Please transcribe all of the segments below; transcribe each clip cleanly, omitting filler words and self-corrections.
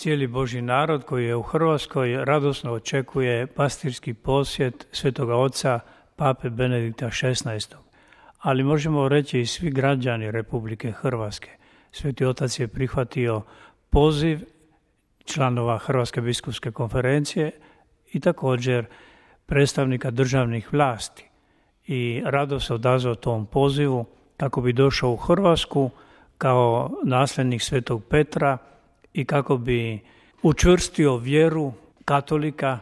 Cijeli Božji narod koji je u Hrvatskoj radosno očekuje pastirski posjet Svetoga Oca Pape Benedikta XVI. Ali možemo reći i svi građani Republike Hrvatske. Sveti Otac je prihvatio poziv članova Hrvatske biskupske konferencije i također predstavnika državnih vlasti i rado se odazvao tom pozivu kako bi došao u Hrvatsku kao nasljednik Svetog Petra i kako bi učvrstio vjeru katolika,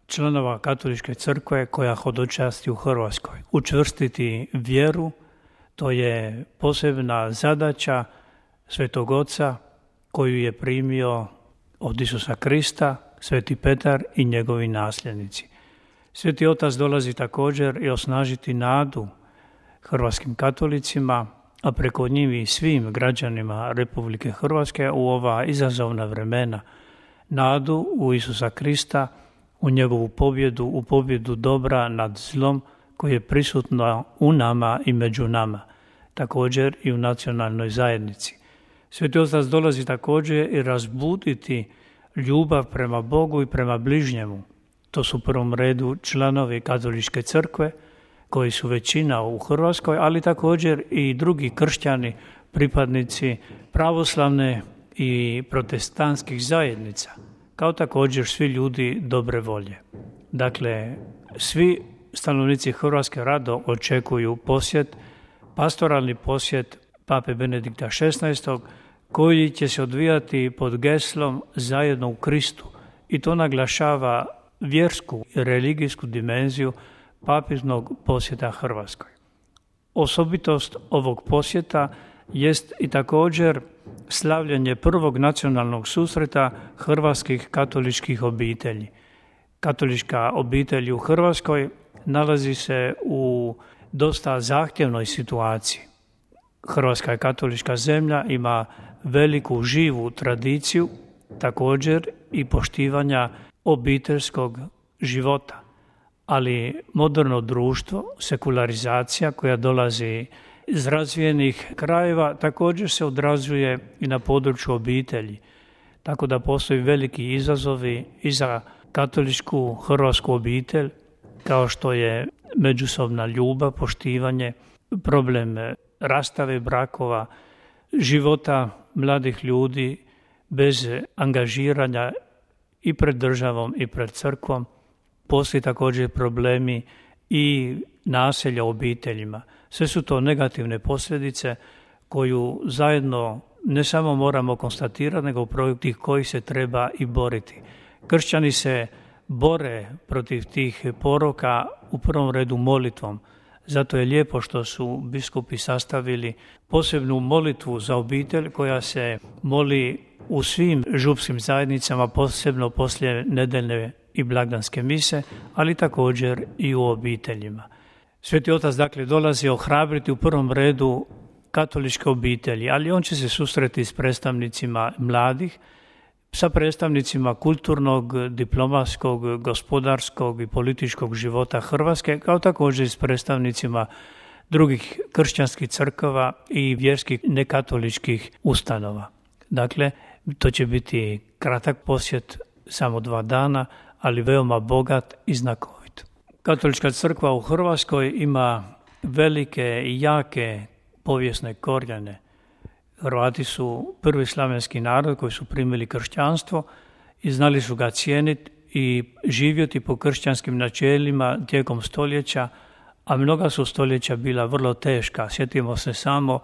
članova Katoličke crkve koja hodočasti u Hrvatskoj. Učvrstiti vjeru, to je posebna zadaća Svetog Oca koju je primio od Isusa Krista, Sveti Petar i njegovi nasljednici. Sveti Otac dolazi također i osnažiti nadu hrvatskim katolicima, a preko njih i svim građanima Republike Hrvatske u ova izazovna vremena. Nadu u Isusa Krista, u njegovu pobjedu, u pobjedu dobra nad zlom koje je prisutno u nama i među nama, također i u nacionalnoj zajednici. Sveti Otac dolazi također i razbuditi ljubav prema Bogu i prema bližnjemu. To su u prvom redu članovi Katoličke crkve, koji su većina u Hrvatskoj, ali također i drugi kršćani, pripadnici pravoslavne i protestantskih zajednica, kao također svi ljudi dobre volje. Dakle, svi stanovnici Hrvatske rado očekuju posjet, pastoralni posjet Pape Benedikta XVI, koji će se odvijati pod geslom Zajedno u Kristu i to naglašava vjersku i religijsku dimenziju papiznog posjeta Hrvatskoj. Osobitost ovog posjeta jest i također slavljenje prvog nacionalnog susreta hrvatskih katoličkih obitelji. Katolička obitelj u Hrvatskoj nalazi se u dosta zahtjevnoj situaciji. Hrvatska je katolička zemlja, ima veliku živu tradiciju, također i poštivanja obiteljskog života. Ali moderno društvo, sekularizacija koja dolazi iz razvijenih krajeva također se odrazuje i na području obitelji. Tako da postoji veliki izazovi i za katoličku hrvatsku obitelj, kao što je međusobna ljubav, poštivanje, problem rastave brakova, života mladih ljudi bez angažiranja i pred državom i pred crkvom. Postoji također problemi i nasilja u obiteljima. Sve su to negativne posljedice koju zajedno ne samo moramo konstatirati, nego protiv kojih se treba i boriti. Kršćani se bore protiv tih poroka u prvom redu molitvom. Zato je lijepo što su biskupi sastavili posebnu molitvu za obitelj koja se moli u svim župskim zajednicama, posebno poslije nedeljne i blagdanske mise, ali također i u obiteljima. Sveti Otac dakle dolazi ohrabriti u prvom redu katoličke obitelji, ali on će se susreti s predstavnicima mladih, sa predstavnicima kulturnog, diplomatskog, gospodarskog i političkog života Hrvatske, kao također i s predstavnicima drugih kršćanskih crkava i vjerskih nekatoličkih ustanova. Dakle, to će biti kratak posjet, samo 2 dana, ali veoma bogat i znakovit. Katolička crkva u Hrvatskoj ima velike i jake povijesne korijene. Hrvati su prvi slavenski narod koji su primili kršćanstvo i znali su ga cijeniti i živjeti po kršćanskim načelima tijekom stoljeća, a mnoga su stoljeća bila vrlo teška. Sjetimo se samo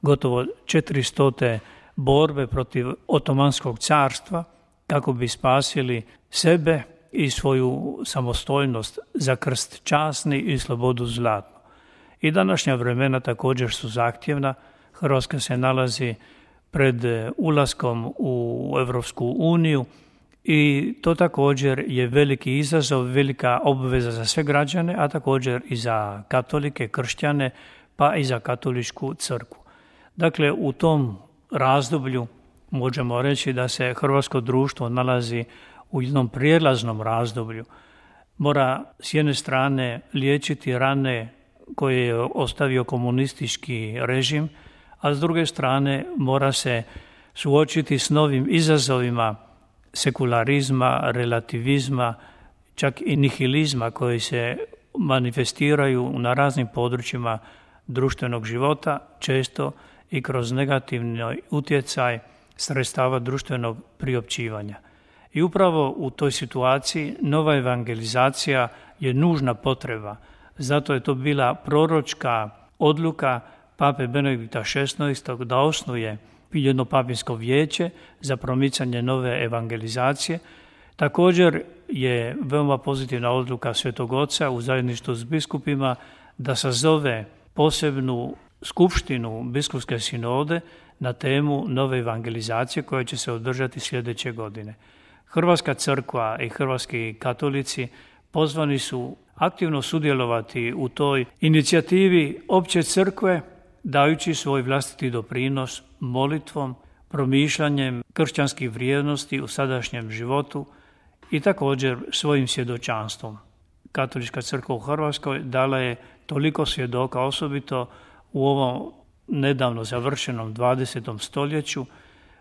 gotovo 400 borbe protiv Otomanskog carstva kako bi spasili sebe i svoju samostojnost za krst časni i slobodu zlatnu. I današnja vremena također su zahtjevna. Hrvatska se nalazi pred ulaskom u Europsku uniju i to također je veliki izazov, velika obveza za sve građane, a također i za katolike, kršćane, pa i za katoličku crkvu. Dakle, u tom razdoblju možemo reći da se hrvatsko društvo nalazi u jednom prijelaznom razdoblju. Mora s jedne strane liječiti rane koje je ostavio komunistički režim, a s druge strane mora se suočiti s novim izazovima sekularizma, relativizma, čak i nihilizma koji se manifestiraju na raznim područjima društvenog života, često i kroz negativni utjecaj sredstava društvenog priopćivanja. I upravo u toj situaciji nova evangelizacija je nužna potreba. Zato je to bila proročka odluka pape Benedikta XVI da osnuje jedno papinsko vijeće za promicanje nove evangelizacije. Također je veoma pozitivna odluka Svetog Oca u zajedništvu s biskupima da sazove posebnu skupštinu biskupske sinode na temu nove evangelizacije koja će se održati sljedeće godine. Hrvatska crkva i hrvatski katolici pozvani su aktivno sudjelovati u toj inicijativi opće crkve, dajući svoj vlastiti doprinos molitvom, promišljanjem kršćanskih vrijednosti u sadašnjem životu i također svojim svjedočanstvom. Katolička crkva u Hrvatskoj dala je toliko svjedoka, osobito u ovom nedavno završenom 20. stoljeću.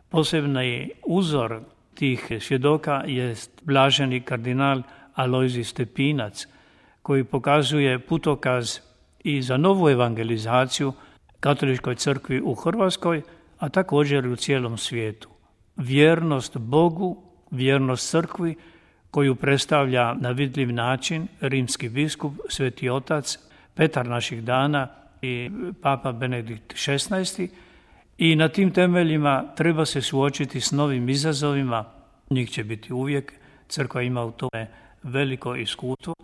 Posebni uzor tih svjedoka je blaženi kardinal Alojzij Stepinac, koji pokazuje putokaz i za novu evangelizaciju Katoličkoj crkvi u Hrvatskoj, a također i u cijelom svijetu. Vjernost Bogu, vjernost crkvi koju predstavlja na vidljiv način rimski biskup, Sveti Otac, Petar naših dana i Papa Benedikt XVI, i na tim temeljima treba se suočiti s novim izazovima. Njih će biti uvijek, crkva ima u tome veliko iskustvo,